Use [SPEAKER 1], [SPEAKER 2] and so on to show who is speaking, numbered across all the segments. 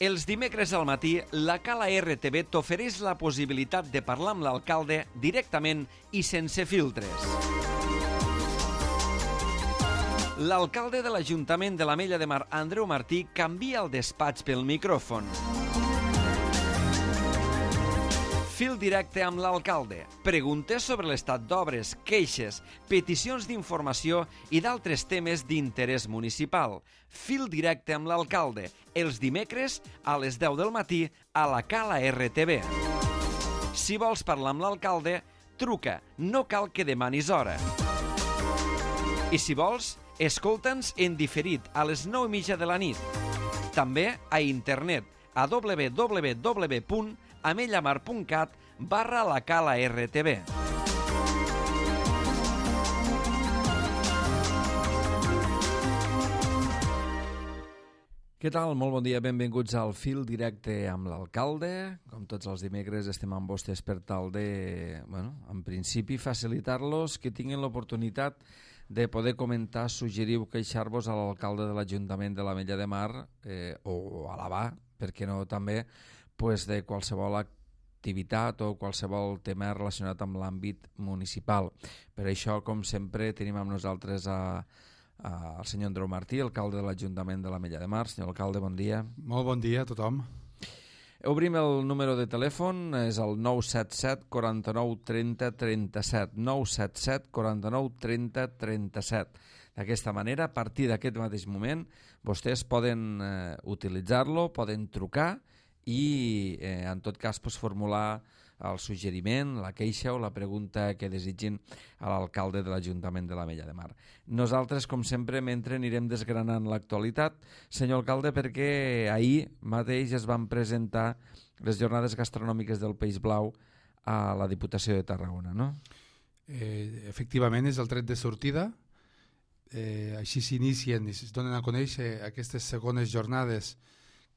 [SPEAKER 1] Els dimecres al matí, la Cala RTV t'ofereix la possibilitat de parlar amb l'alcalde directament i sense filtres. L'alcalde de l'Ajuntament de l'Ametlla de Mar, Andreu Martí, canvia el despatx pel micròfon. Fil directe amb l'alcalde. Preguntes sobre l'estat d'obres, queixes, peticions d'informació i d'altres temes d'interès municipal. Fil directe amb l'alcalde. Els dimecres a les 10 del matí a la Cala RTV. Si vols parlar amb l'alcalde, truca. No cal que demanis hora. I si vols, escolta'ns en diferit a les 9:30 de la nit. També a internet a www.amellamar.cat/la Cala RTV. Què tal? Molt bon dia, benvinguts al Fil Directe amb l'alcalde. Com tots els dimecres estem amb vostès per tal de, en principi, facilitar-los que tinguin l'oportunitat de poder comentar, suggerir o queixar-vos a l'alcalde de l'Ajuntament de l'Ametlla de Mar o alabar, per què no també, de qualsevol activitat o qualsevol tema relacionat amb l'àmbit municipal. Per això, com sempre, tenim amb nosaltres el senyor Andreu Martí, alcalde de l'Ajuntament de l'Ametlla de Mar. Senyor alcalde, bon dia.
[SPEAKER 2] Molt bon dia a tothom.
[SPEAKER 1] Obrim el número de telèfon, és el 977 49 30 37, 977 49 30 37. D'aquesta manera, a partir d'aquest mateix moment, vostès poden utilitzar-lo, poden trucar i, en tot cas, formular el suggeriment, la queixa o la pregunta que desitgin a l'alcalde de l'Ajuntament de l'Ametlla de Mar. Nosaltres, com sempre, mentre anirem desgranant l'actualitat, senyor alcalde, perquè ahir mateix es van presentar les jornades gastronòmiques del Peix Blau a la Diputació de Tarragona, no?
[SPEAKER 2] Efectivament, és el tret de sortida. Així s'inicien i es donen a conèixer aquestes segones jornades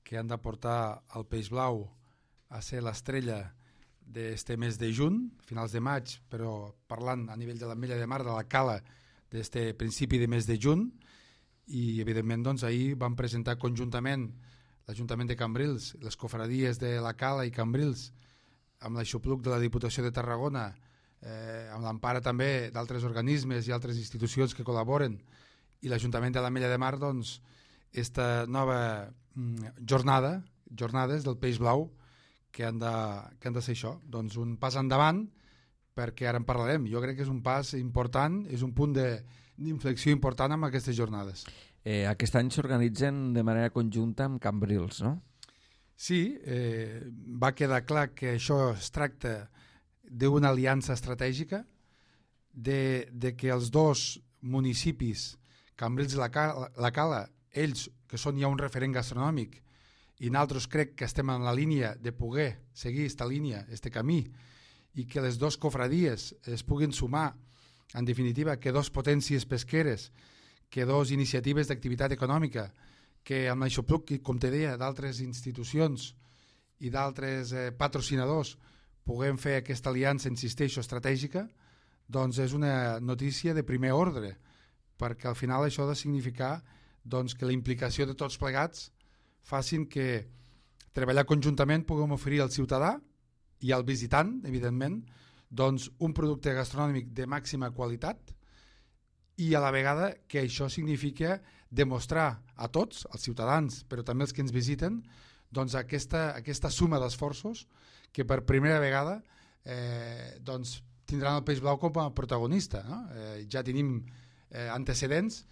[SPEAKER 2] que han de portar el Peix Blau a ser l'estrella d'este mes de juny, finals de maig, però parlant a nivell de l'Ametlla de Mar, de la Cala, d'este principi de mes de juny, i evidentment doncs, ahir van presentar conjuntament l'Ajuntament de Cambrils, les cofradies de la Cala i Cambrils, amb l'aixopluc de la Diputació de Tarragona, amb l'empara també d'altres organismes i altres institucions que col·laboren, i l'Ajuntament de l'Ametlla de Mar, doncs, esta nova jornades del Peix Blau, que han de ser això, doncs un pas endavant, perquè ara en parlarem. Jo crec que és un pas important, és un punt d'inflexió important amb aquestes jornades.
[SPEAKER 1] Aquest any s'organitzen de manera conjunta amb Cambrils, no?
[SPEAKER 2] Sí, va quedar clar que això es tracta d'una aliança estratègica, de que els dos municipis, Cambrils i la Cala, ells, que són ja un referent gastronòmic, i nosaltres crec que estem en la línia de poder seguir aquesta línia, este camí, i que les dues cofradies es puguin sumar, en definitiva, que dos potències pesqueres, que dos iniciatives d'activitat econòmica, que amb l'aixopluc, com te deia, d'altres institucions i d'altres patrocinadors puguem fer aquesta aliança, insisteixo, estratègica, doncs és una notícia de primer ordre, perquè al final això ha de significar doncs, que la implicació de tots plegats facin que treballar conjuntament puguem oferir al ciutadà i al visitant, evidentment, doncs un producte gastronòmic de màxima qualitat i a la vegada que això significa demostrar a tots, als ciutadans, però també als que ens visiten, doncs aquesta suma d'esforços que per primera vegada doncs tindran el Peix Blau com a protagonista. No? Ja tenim antecedents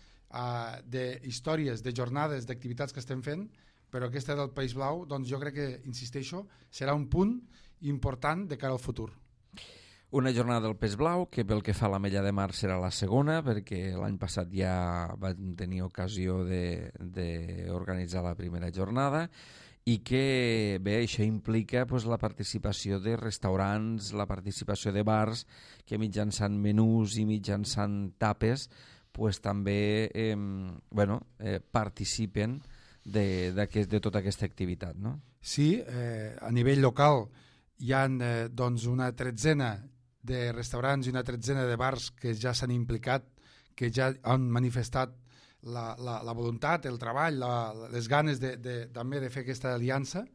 [SPEAKER 2] d'històries, de jornades, d'activitats que estem fent, però aquesta del Peix Blau, doncs jo crec que, insisteixo, serà un punt important de cara al futur.
[SPEAKER 1] Una jornada del Peix Blau, que pel que fa a l'Ametlla de Mar serà la segona, perquè l'any passat ja vam tenir ocasió d'organitzar la primera jornada, i que, bé, això implica la participació de restaurants, la participació de bars, que mitjançant menús i mitjançant tapes, també participen de tota aquesta activitat, no?
[SPEAKER 2] Sí, a nivell local hi ha doncs una tretzena de restaurants i una tretzena de bars que ja s'han implicat, que ja han manifestat la voluntat, el treball, les ganes també de fer aquesta aliança,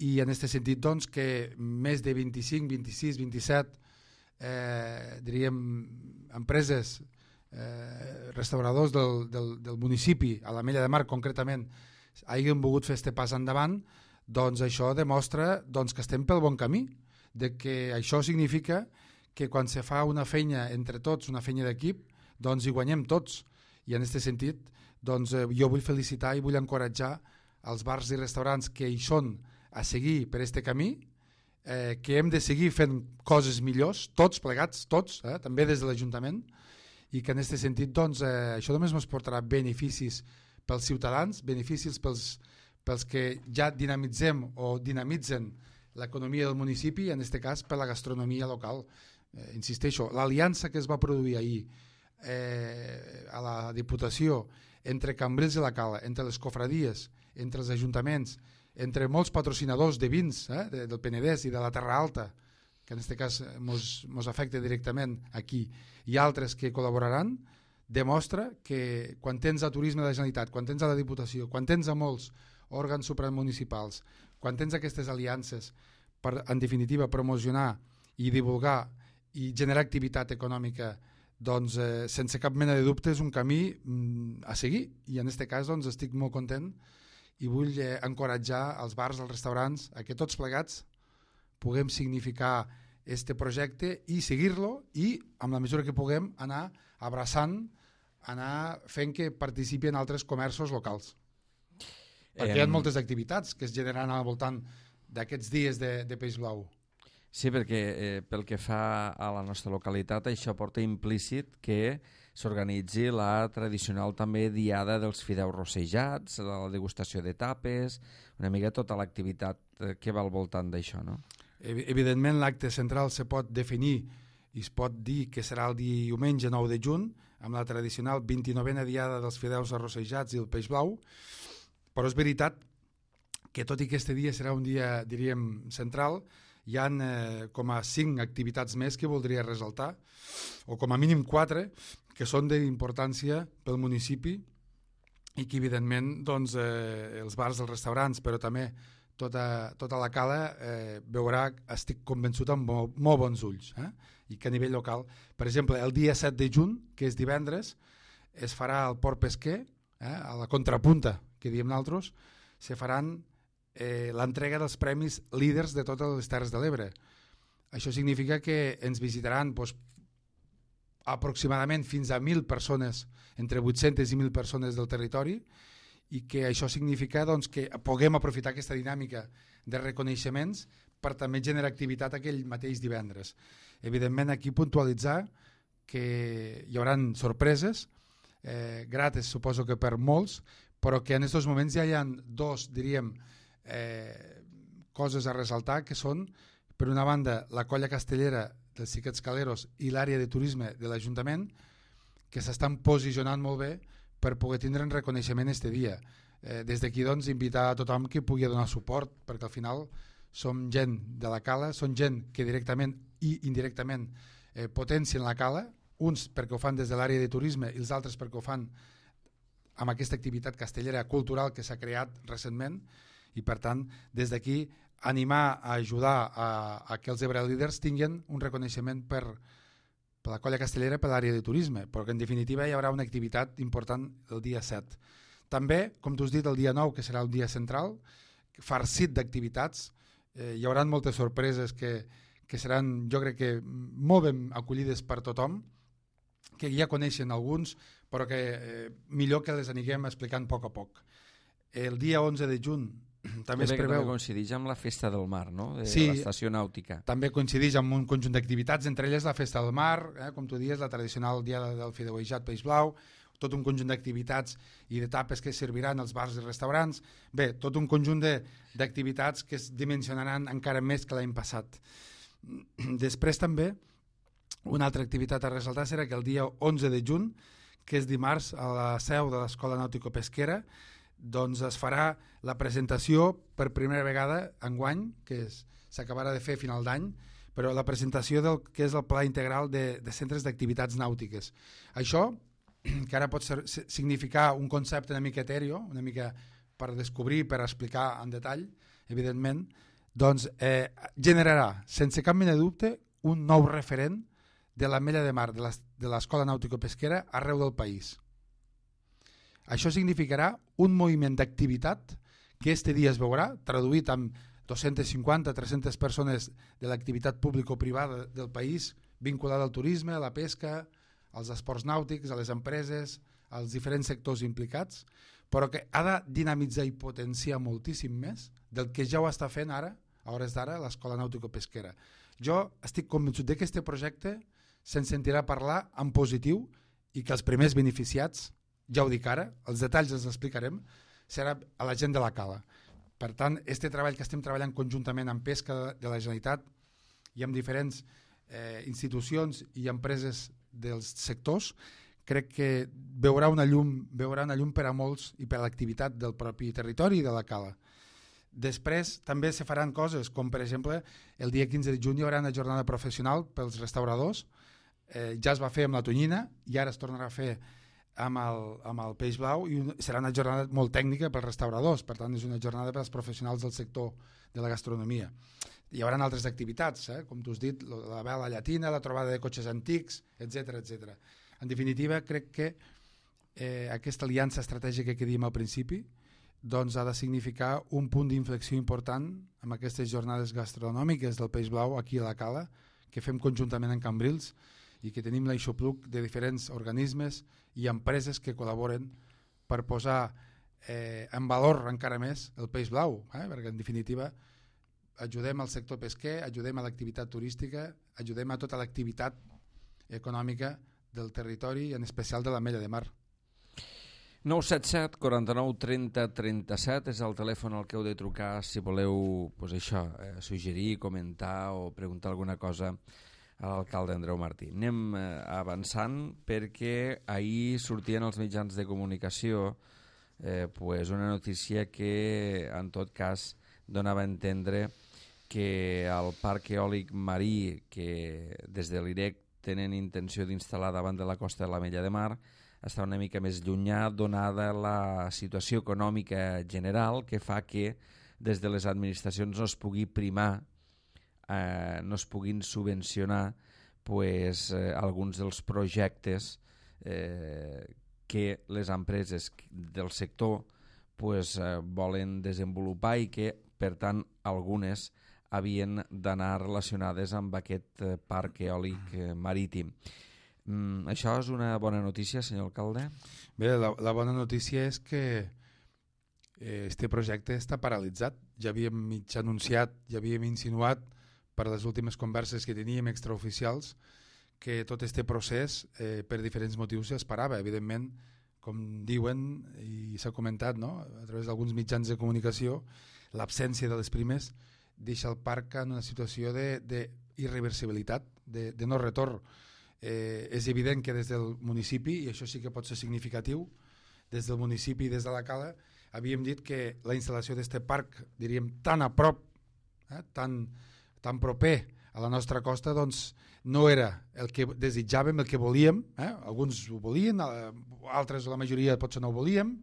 [SPEAKER 2] i en aquest sentit doncs, que més de 25, 26, 27 diríem empreses, restauradors del municipi, a l'Ametlla de Mar concretament, hagin volgut fer aquest pas endavant, doncs això demostra doncs, que estem pel bon camí, de que això significa que quan se fa una feina entre tots, una feina d'equip, doncs hi guanyem tots. I en aquest sentit doncs, jo vull felicitar i vull encoratjar els bars i restaurants que hi són a seguir per aquest camí, que hem de seguir fent coses millors, tots plegats, tots, també des de l'Ajuntament, i que en aquest sentit doncs, això només ens portarà beneficis pels ciutadans, beneficis pels que ja dinamitzem o dinamitzen l'economia del municipi, en aquest cas per la gastronomia local. Insisteixo, l'aliança que es va produir ahir a la Diputació entre Cambrils i la Cala, entre les cofradies, entre els ajuntaments, entre molts patrocinadors de vins del Penedès i de la Terra Alta, que en aquest cas ens afecta directament aquí, i altres que col·laboraran, demostra que quan tens a Turisme de la Generalitat, quan tens a la Diputació, quan tens a molts òrgans supramunicipals, quan tens aquestes aliances per, en definitiva, promocionar i divulgar i generar activitat econòmica, doncs sense cap mena de dubte és un camí a seguir, i en aquest cas doncs, estic molt content i vull encoratjar els bars, els restaurants, a que tots plegats puguem significar este projecte i seguir-lo, i amb la mesura que puguem anar abraçant, anar fent que participin altres comerços locals. Perquè hi ha moltes activitats que es generaran al voltant d'aquests dies de Peix Blau.
[SPEAKER 1] Sí, perquè pel que fa a la nostra localitat, això porta implícit que s'organitzi la tradicional també diada dels fideus rossejats, la degustació de tapes, una mica tota l'activitat que va al voltant d'això, no?
[SPEAKER 2] Evidentment l'acte central se pot definir i es pot dir que serà el diumenge 9 de juny, amb la tradicional 29a diada dels fideus arrossejats i el peix blau, però és veritat que tot i que este dia serà un dia, diríem, central, hi ha com a 5 activitats més que voldria ressaltar, o com a mínim 4, que són d'importància pel municipi i que evidentment doncs, els bars, els restaurants, però també tota la cala veurà, estic convençut, amb molt bons ulls, i que a nivell local, per exemple, el dia 7 de juny, que és divendres, es farà al Port Pesquer, a la contrapunta, que diem nosaltres, se faran l'entrega dels premis líders de totes les Terres de l'Ebre. Això significa que ens visitaran aproximadament fins a 1.000 persones, entre 800 i 1.000 persones del territori, i que això significa doncs, que puguem aprofitar aquesta dinàmica de reconeixements per també generar activitat aquell mateix divendres. Evidentment, aquí puntualitzar que hi haurà sorpreses, grates suposo que per molts, però que en aquests moments ja hi ha dos, diríem, coses a ressaltar, que són, per una banda, la colla castellera dels Xiquets Caleros i l'àrea de turisme de l'Ajuntament, que s'estan posicionant molt bé per poder tindre un reconeixement este dia. Des d'aquí, doncs, invitar a tothom que pugui donar suport, perquè al final som gent de la cala, són gent que directament i indirectament potencien la cala, uns perquè ho fan des de l'àrea de turisme i els altres perquè ho fan amb aquesta activitat castellera cultural que s'ha creat recentment, i per tant, des d'aquí, animar a ajudar a que els Ebre Líders tinguin un reconeixement per la colla castellera, per l'àrea de turisme, però que en definitiva hi haurà una activitat important el dia 7. També, com tu has dit, el dia 9, que serà el dia central, farcit d'activitats, hi haurà moltes sorpreses que seran, jo crec que, molt ben acollides per tothom, que ja coneixen alguns, però que millor que les anirem explicant a poc. El dia 11 de juny també es preveu...
[SPEAKER 1] També coincideix amb la Festa del Mar, no? De
[SPEAKER 2] sí,
[SPEAKER 1] l'estació nàutica.
[SPEAKER 2] També coincideix amb un conjunt d'activitats, entre elles la Festa del Mar, com tu dius, la tradicional dia del fideuejat peix blau, tot un conjunt d'activitats i d'etapes que serviran als bars i restaurants. Bé, tot un conjunt d'activitats que es dimensionaran encara més que l'any passat. Després també, una altra activitat a ressaltar serà que el dia 11 de juny, que és dimarts, a la seu de l'Escola Nàutico-Pesquera, doncs es farà la presentació per primera vegada enguany, que s'acabarà de fer a final d'any, però la presentació del que és el Pla Integral de Centres d'Activitats Nàutiques. Això que ara pot significar un concepte una mica etèreo, una mica per descobrir, per explicar en detall, evidentment, doncs generarà, sense cap mena de dubte, un nou referent de l'Ametlla de Mar, de l'Escola Nàutico-Pesquera arreu del país. Això significarà un moviment d'activitat que este dia es veurà, traduït amb 250-300 persones de l'activitat público-privada del país vinculada al turisme, a la pesca, als esports nàutics, a les empreses, als diferents sectors implicats, però que ha de dinamitzar i potenciar moltíssim més del que ja ho està fent ara, a hores d'ara, l'Escola Nàutico-Pesquera. Jo estic convençut que aquest projecte se'n sentirà parlar en positiu i que els primers beneficiats, ja ho dic ara, els detalls els explicarem, serà a la gent de la cala. Per tant, este treball que estem treballant conjuntament amb Pesca de la Generalitat i amb diferents institucions i empreses dels sectors, crec que veurà una llum per a molts i per a l'activitat del propi territori i de la cala. Després també se faran coses, com per exemple el dia 15 de juny hi haurà una jornada professional pels restauradors, ja es va fer amb la tonyina i ara es tornarà a fer amb el peix blau i serà una jornada molt tècnica pels restauradors, per tant és una jornada per als professionals del sector de la gastronomia. Hi haurà altres activitats, com tu has dit, la vela llatina, la trobada de cotxes antics, etc etc. En definitiva, crec que aquesta aliança estratègica que dèiem al principi doncs ha de significar un punt d'inflexió important amb aquestes jornades gastronòmiques del peix blau aquí a la cala, que fem conjuntament amb Cambrils i que tenim l'aixopluc de diferents organismes i empreses que col·laboren per posar en valor encara més el peix blau, perquè en definitiva ajudem al sector pesquer, ajudem a l'activitat turística, ajudem a tota l'activitat econòmica del territori i en especial de l'Ametlla de Mar.
[SPEAKER 1] 977 49 30 37 és el telèfon al que heu de trucar si voleu suggerir, comentar o preguntar alguna cosa a l'alcalde Andreu Martí. Anem avançant perquè ahir sortien els mitjans de comunicació una notícia que en tot cas donava a entendre que el parc eòlic marí que des de l'IREC tenen intenció d'instal·lar davant de la costa de l'Ametlla de Mar està una mica més llunyà donada la situació econòmica general que fa que des de les administracions no es pugui primar, no es puguin subvencionar alguns dels projectes que les empreses del sector volen desenvolupar i que, per tant, algunes havien d'anar relacionades amb aquest parc eòlic marítim. Això és una bona notícia, senyor alcalde?
[SPEAKER 2] Bé, la bona notícia és que este projecte està paralitzat. Ja havíem mig anunciat, ja havíem insinuat per les últimes converses que teníem extraoficials que tot este procés per diferents motius es parava. Evidentment, com diuen i s'ha comentat a través d'alguns mitjans de comunicació, l'absència de les primes deixa el parc en una situació d'irreversibilitat, de no retorn. És evident que des del municipi, i això sí que pot ser significatiu, des del municipi i des de la cala, havíem dit que la instal·lació d'aquest parc, diríem, tan a prop, tan proper a la nostra costa, doncs no era el que desitjàvem, el que volíem. Alguns ho volien, altres, la majoria potser no ho volíem,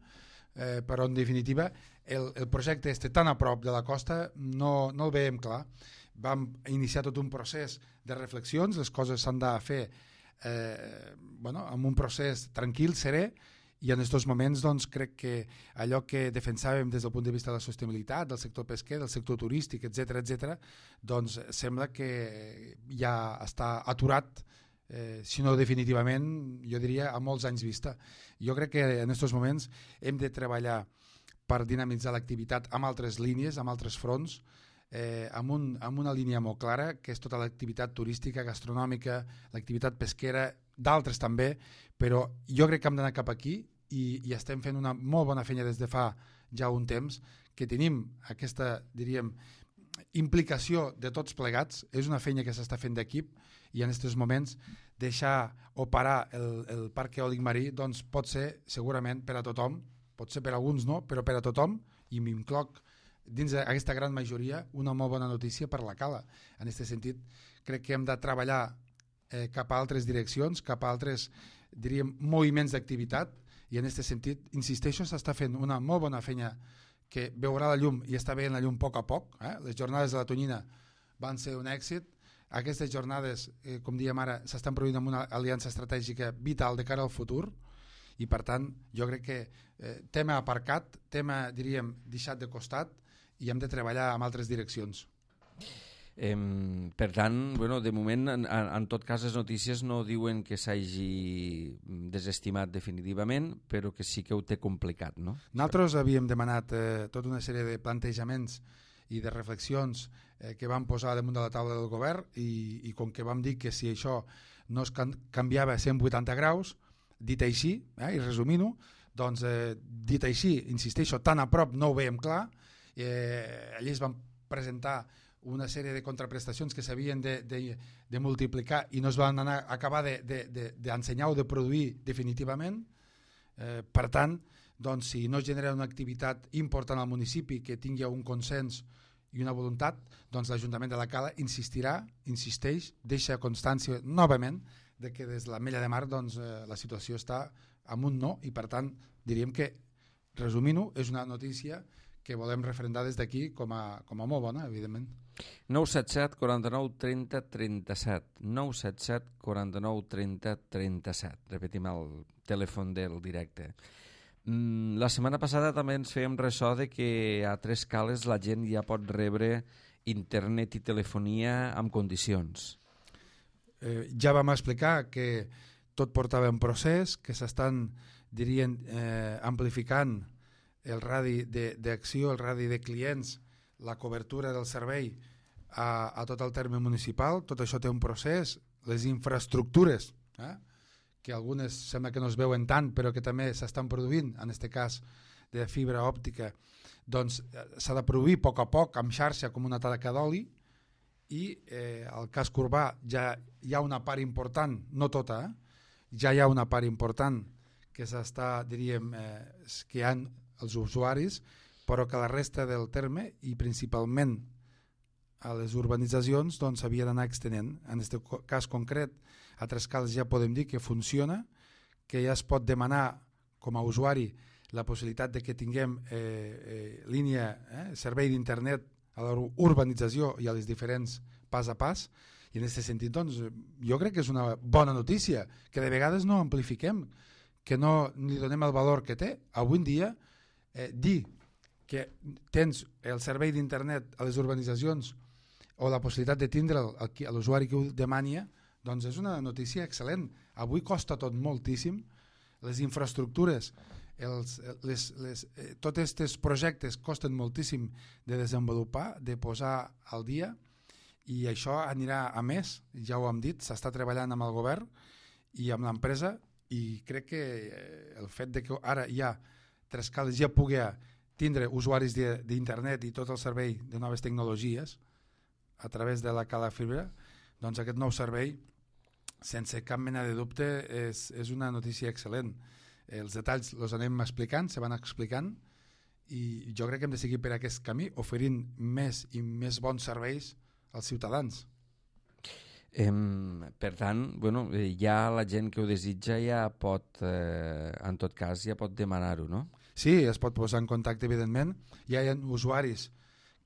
[SPEAKER 2] però en definitiva el projecte tan a prop de la costa no el veiem clar. Vam iniciar tot un procés de reflexions, les coses s'han de fer amb un procés tranquil, serè, i en aquests moments doncs, crec que allò que defensàvem des del punt de vista de la sostenibilitat, del sector pesquer, del sector turístic, etc., doncs sembla que ja està aturat, si no definitivament, jo diria a molts anys vista. Jo crec que en aquests moments hem de treballar per dinamitzar l'activitat amb altres línies, amb altres fronts, amb una línia molt clara, que és tota l'activitat turística, gastronòmica, l'activitat pesquera, d'altres també, però jo crec que hem d'anar cap aquí i estem fent una molt bona feina des de fa ja un temps, que tenim aquesta, diríem, implicació de tots plegats. És una feina que s'està fent d'equip i en aquests moments deixar operar el parc eòlic marí doncs pot ser segurament per a tothom, pot ser per a alguns no, però per a tothom, i m'incloc dins d'aquesta gran majoria, una molt bona notícia per la cala. En aquest sentit, crec que hem de treballar cap a altres direccions, cap a altres, diríem, moviments d'activitat, i en aquest sentit, insisteixo, s'està fent una molt bona feina que veurà la llum i està veient la llum a poc. Les jornades de la Tonyina van ser un èxit. Aquestes jornades, com diem ara, s'estan produint amb una aliança estratègica vital de cara al futur, i per tant jo crec que tema aparcat, tema, diríem, deixat de costat, i hem de treballar en altres direccions.
[SPEAKER 1] Per tant, de moment, en tot cas, les notícies no diuen que s'hagi desestimat definitivament, però que sí que ho té complicat, no?
[SPEAKER 2] Nosaltres havíem demanat tota una sèrie de plantejaments i de reflexions que vam posar damunt de la taula del govern, i com que vam dir que si això no es canviava a 180 graus, dit així, i resumint-ho, doncs dit així, insisteixo, tan a prop no ho veiem clar, allí es van presentar una sèrie de contraprestacions que s'havien de multiplicar i no es van acabar d'ensenyar o de produir definitivament. Per tant, doncs, si no es genera una activitat important al municipi que tingui un consens i una voluntat, doncs l'Ajuntament de la Cala insisteix, deixa constància novament de que des de l'Ametlla de Mar doncs, la situació està amb un no, i per tant diríem que, resumint-ho, és una notícia que volem referendar des d'aquí com a molt bona, evidentment.
[SPEAKER 1] 977 49 30 37 977 49 30 37. Repetim el telèfon del directe. La setmana passada també ens fèiem ressò de que a Tres Cales la gent ja pot rebre internet i telefonia amb condicions.
[SPEAKER 2] Ja vam explicar que tot portava en procés, que s'estan, dirien, amplificant el radi d'acció, el radi de clients, la cobertura del servei a tot el terme municipal. Tot això té un procés, les infraestructures, que algunes sembla que no es veuen tant, però que també s'estan produint, en aquest cas de fibra òptica, doncs s'ha de produir a poc amb xarxa com una taca d'oli, i al casc urbà ja hi ha una part important, no tota, ja hi ha una part important que s'està, diríem, que hi ha els usuaris, però que la resta del terme, i principalment a les urbanitzacions, doncs s'havia d'anar extenent. En aquest cas concret, a Tres Cales ja podem dir que funciona, que ja es pot demanar com a usuari la possibilitat de que tinguem línia, servei d'internet a l'urbanització i a les diferents pas a pas, i en aquest sentit doncs, jo crec que és una bona notícia, que de vegades no amplifiquem, que no li donem el valor que té. Avui en dia, dir que tens el servei d'internet a les urbanitzacions o la possibilitat de tindre'l a l'usuari que ho demania, doncs és una notícia excel·lent. Avui costa tot moltíssim, les infraestructures, tots aquests projectes costen moltíssim de desenvolupar, de posar al dia, i això anirà a més, ja ho hem dit, s'està treballant amb el govern i amb l'empresa, i crec que el fet de que ara ja Tres Cales ja pugui tindre usuaris d'internet i tot el servei de noves tecnologies a través de la Cala Fibra, doncs aquest nou servei, sense cap mena de dubte, és una notícia excel·lent. Els detalls els anem explicant, se van explicant, i jo crec que hem de seguir per aquest camí, oferint més i més bons serveis als ciutadans.
[SPEAKER 1] Per tant, ja la gent que ho desitja ja pot, en tot cas, ja pot demanar-ho, no?
[SPEAKER 2] Sí, es pot posar en contacte, evidentment. Ja hi ha usuaris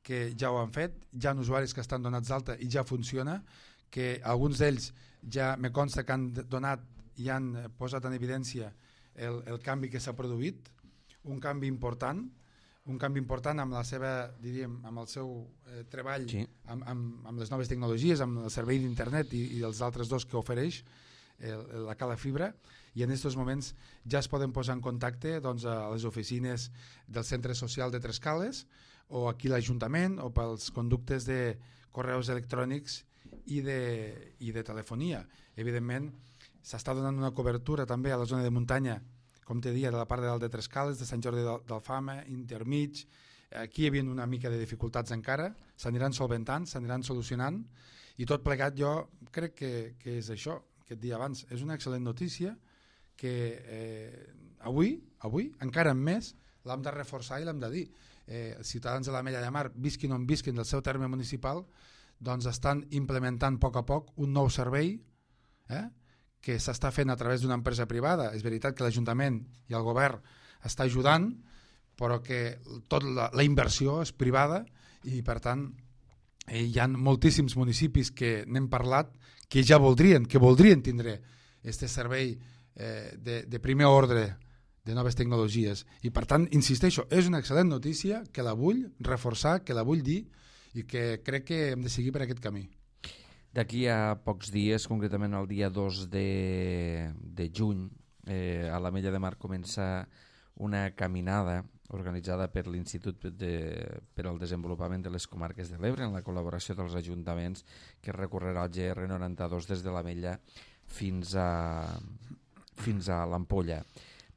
[SPEAKER 2] que ja ho han fet, hi ha usuaris que estan donats d'alta i ja funciona, que alguns d'ells ja me consta que han donat i han posat en evidència el canvi que s'ha produït, un canvi important amb la seva, diríem, amb el seu treball, sí, amb les noves tecnologies, amb el servei d'internet i els altres dos que ofereix la Cala Fibra, i en aquests moments ja es poden posar en contacte doncs, a les oficines del Centre Social de Tres Cales, o aquí l'Ajuntament, o pels conductes de correus electrònics i de telefonia. Evidentment, s'està donant una cobertura també a la zona de muntanya, com te deia, de la part de dalt de Tres Cales, de Sant Jordi d'Alfama, intermig. Aquí hi havia una mica de dificultats encara, s'aniran solventant, s'aniran solucionant, i tot plegat jo crec que és això que et dia abans. És una excel·lent notícia que avui, encara més, l'hem de reforçar i l'hem de dir. Els ciutadans de l'Ametlla de Mar, visquin on visquin del seu terme municipal, doncs estan implementant a poc un nou servei que s'està fent a través d'una empresa privada. És veritat que l'Ajuntament i el govern està ajudant, però que tota la inversió és privada i, per tant, hi ha moltíssims municipis que n'hem parlat que ja voldrien tindre aquest servei de primer ordre de noves tecnologies. I, per tant, insisteixo, és una excel·lent notícia que la vull reforçar, que la vull dir i que crec que hem de seguir per aquest camí.
[SPEAKER 1] D'aquí a pocs dies, concretament el dia 2 de juny, a l'Ametlla de Mar comença una caminada organitzada per l'Institut per al Desenvolupament de les Comarques de l'Ebre en la col·laboració dels ajuntaments, que recorrerà al GR92 des de l'Ametlla fins a l'Ampolla.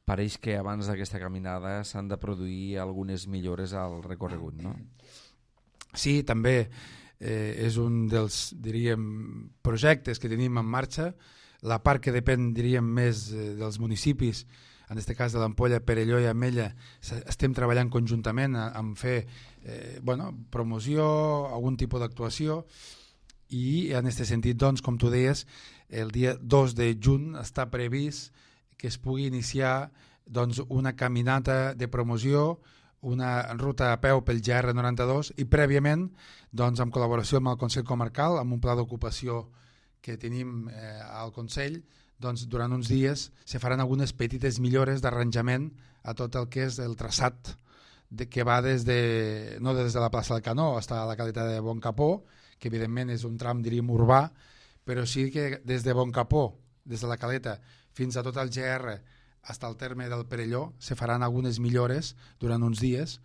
[SPEAKER 1] Pareix que abans d'aquesta caminada s'han de produir algunes millores al recorregut, no?
[SPEAKER 2] Sí, també és un dels, diríem, projectes que tenim en marxa. La part que depèn, diríem, més dels municipis, en aquest cas de l'Ampolla, Perelló i Ametlla, estem treballant conjuntament en fer promoció, algun tipus d'actuació, i en aquest sentit, doncs, com tu deies, el dia 2 de juny està previst que es pugui iniciar doncs, una caminata de promoció, una ruta a peu pel GR92 i prèviament, doncs, en col·laboració amb el Consell Comarcal, amb un pla d'ocupació que tenim al Consell, doncs, durant uns dies se faran algunes petites millores d'arranjament a tot el que és el traçat que va no des de la plaça del Canó fins a la Caleta de Boncapó, que evidentment és un tram, diríem, urbà, però sí que des de Boncapó, des de la Caleta, fins a tot el GR, fins al terme del Perelló, se faran algunes millores durant uns dies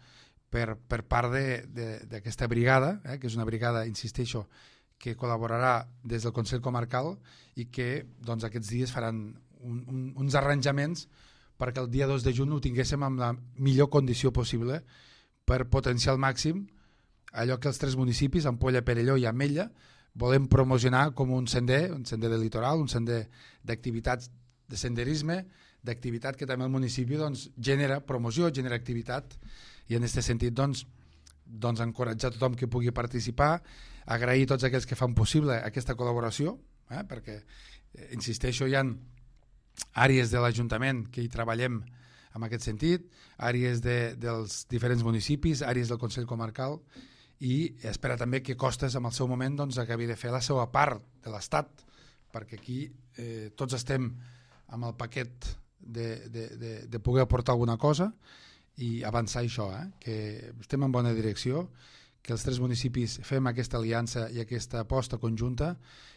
[SPEAKER 2] per part d'aquesta brigada, que és una brigada, insisteixo, que col·laborarà des del Consell Comarcal i que doncs, aquests dies faran uns arranjaments perquè el dia 2 de juny ho tinguéssim amb la millor condició possible per potenciar al màxim allò que els tres municipis, Ampolla, Perelló i Ametlla, volem promocionar com un sender de litoral, un sender d'activitats de senderisme, d'activitat que també el municipi doncs, genera promoció, genera activitat, i en aquest sentit doncs, encoratjar tothom que pugui participar, agrair a tots aquells que fan possible aquesta col·laboració, perquè, insisteixo, hi ha àrees de l'Ajuntament que hi treballem en aquest sentit, àrees dels diferents municipis, àrees del Consell Comarcal, i espera també que Costes en el seu moment doncs, acabi de fer la seva part de l'Estat, perquè aquí tots estem amb el paquet de poder aportar alguna cosa i avançar això, que estem en bona direcció, que els tres municipis fem aquesta aliança i aquesta aposta conjunta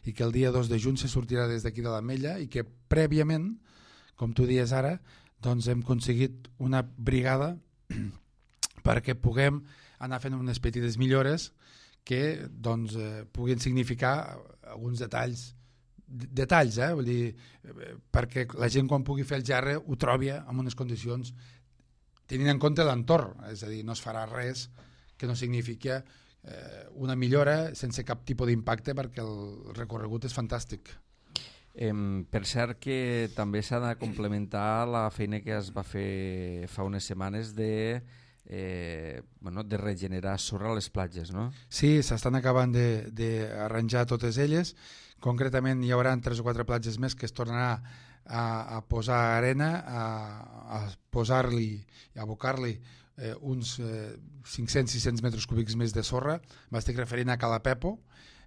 [SPEAKER 2] i que el dia 2 de juny se sortirà des d'aquí de l'Ametlla i que prèviament, com tu dies ara, doncs hem aconseguit una brigada perquè puguem anar fent unes petites millores que doncs, puguin significar alguns detalls, vull dir, perquè la gent quan pugui fer el gerre ho trobi en unes condicions tenint en compte l'entorn, és a dir, no es farà res que no significa una millora sense cap tipus d'impacte perquè el recorregut és fantàstic.
[SPEAKER 1] Per cert que també s'ha de complementar la feina que es va fer fa unes setmanes de regenerar sorra a les platges, no?
[SPEAKER 2] Sí, s'estan acabant d'arranjar totes elles. Concretament hi haurà 3 o 4 platges més que es tornarà a posar arena, a posar-li, a abocar-li uns 500-600 metres cúbics més de sorra. M'estic referint a Cala Pepo,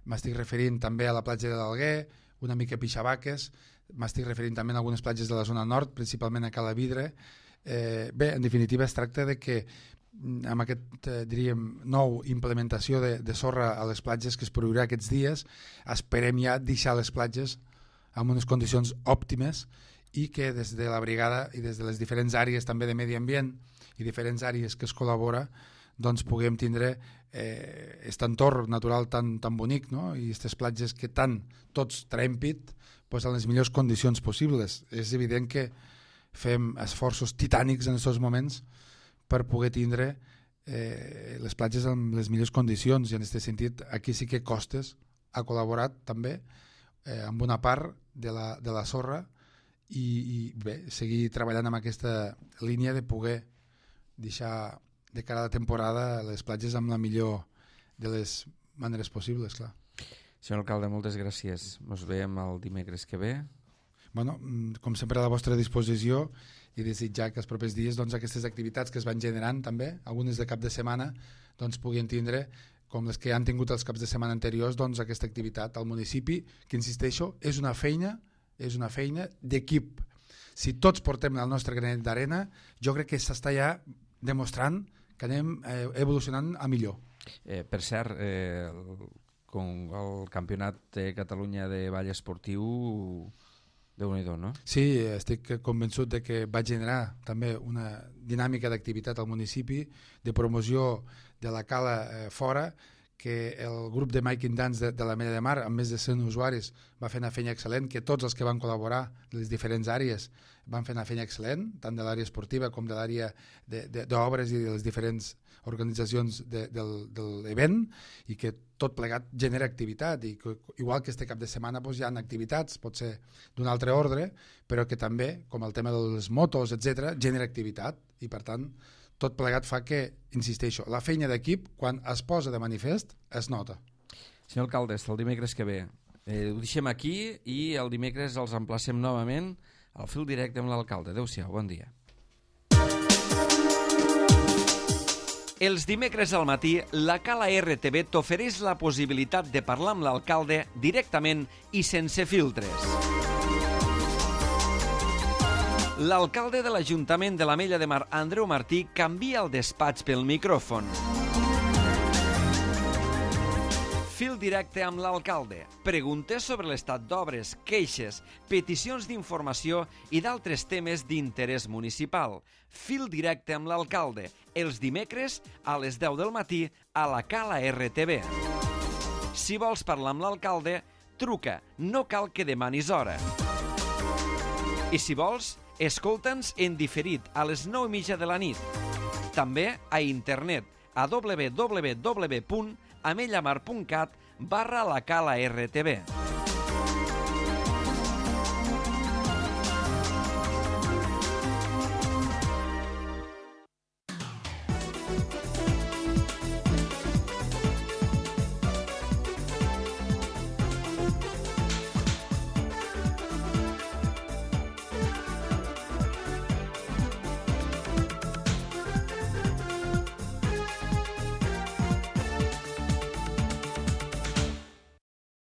[SPEAKER 2] m'estic referint també a la platja de l'Alguer, una mica a Pixabaques, m'estic referint també a algunes platges de la zona nord, principalment a Cala Vidre. Bé, en definitiva es tracta de que amb aquest, diríem, nou implementació de sorra a les platges que es produirà aquests dies, esperem ja deixar les platges en unes condicions òptimes i que des de la brigada i des de les diferents àrees també de medi ambient i diferents àrees que es col·labora doncs puguem tindre aquest entorn natural tan bonic, no? I aquestes platges que tant tots traiem pit pues, en les millors condicions possibles. És evident que fem esforços titànics en aquests moments per poder tindre les platges en les millors condicions i en aquest sentit aquí sí que Costes ha col·laborat també amb una part de la sorra i bé, seguir treballant amb aquesta línia de poder deixar de cara a la temporada les platges amb la millor de les maneres possibles, clar.
[SPEAKER 1] Senyor alcalde, moltes gràcies. Ens veiem el dimecres que ve.
[SPEAKER 2] bueno, com sempre a la vostra disposició i desitjar que els propers dies doncs, aquestes activitats que es van generant també, algunes de cap de setmana, doncs puguin tindre, com les que han tingut els caps de setmana anteriors, doncs aquesta activitat al municipi, que insisteixo, és una feina d'equip. Si tots portem el nostre granet d'arena, jo crec que s'està ja demostrant que anem evolucionant a millor.
[SPEAKER 1] Per cert, el Campionat de Catalunya de Ball Esportiu, Déu-n'hi-do, no?
[SPEAKER 2] Sí, estic convençut de que va generar també una dinàmica d'activitat al municipi, de promoció de la cala fora, que el grup de Making Dance de l'Ametlla de Mar, amb més de 100 usuaris, va fer una feina excel·lent, que tots els que van col·laborar de les diferents àrees van fer una feina excel·lent, tant de l'àrea esportiva com de l'àrea d'obres i de les diferents organitzacions de l'event, i que tot plegat genera activitat, i que, igual que este cap de setmana doncs, hi ha activitats, pot ser d'un altre ordre, però que també, com el tema de les motos, etc, genera activitat, i per tant tot plegat fa que, insisteixo, la feina d'equip, quan es posa de manifest, es nota.
[SPEAKER 1] Senyor alcalde, el dimecres que ve ho deixem aquí i el dimecres els emplacem novament al fil directe amb l'alcalde. Adéu-siau, bon dia. Els dimecres al matí, la Cala RTV t'ofereix la possibilitat de parlar amb l'alcalde directament i sense filtres. L'alcalde de l'Ajuntament de l'Ametlla de Mar, Andreu Martí, canvia el despatx pel micròfon. Fil directe amb l'alcalde. Preguntes sobre l'estat d'obres, queixes, peticions d'informació i d'altres temes d'interès municipal. Fil directe amb l'alcalde. Els dimecres a les 10 del matí a la Cala RTV. Si vols parlar amb l'alcalde, truca. No cal que demanis hora. I si vols, escolta'ns en diferit a les 9:30 de la nit. També a internet a www.amellamar.cat/la Cala RTV.